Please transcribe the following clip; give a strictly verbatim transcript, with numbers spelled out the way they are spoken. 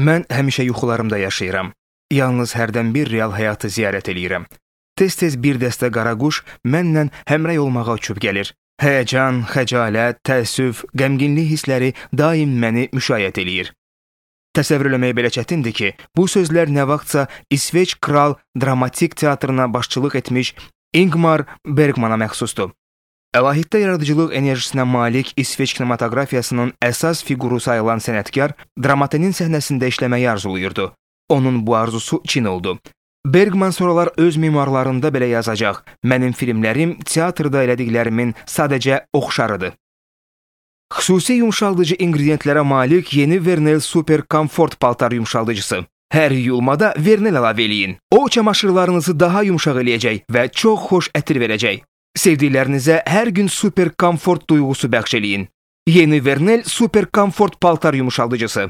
Mən həmişə yuxularımda yaşayıram. Yalnız hərdən bir real həyatı ziyarət eləyirəm. Tez-tez bir dəstə qaraquş mənlə həmrəy olmağa uçub gəlir. Həyəcan, xəcalət, təəssüf, qəmginlik hissləri daim məni müşayiət eləyir. Təsəvvür eləmək belə çətindir ki, bu sözlər nə vaxtsa İsveç Kral Dramatik Teatrına başçılıq etmiş Ingmar Bergmana məxsusdur. Əlahiddə yaradıcılıq enerjisinə malik İsveç kinematografiyasının əsas fiquru sayılan sənətkar Dramatenin səhnəsində işləməyi arzuluyurdu. Onun bu arzusu çin oldu. Bergman sonralar öz memuarlarında belə yazacaq: "Mənim filmlərim teatrda elədiklərimin sadəcə oxşarıdır." Xüsusi yumşaldıcı ingrediyentlərə malik yeni Vernel Super Comfort paltar yumşaldıcısı. Hər yuyulmada Vernel əlavə eləyin. O, çamaşırlarınızı daha yumşaq eləyəcək və çox xoş ətir verəcək. Sevdiklərinizə hər gün super komfort duyğusu bəxş eləyin. Yeni Vernel Super Comfort paltar yumşaldıcısı.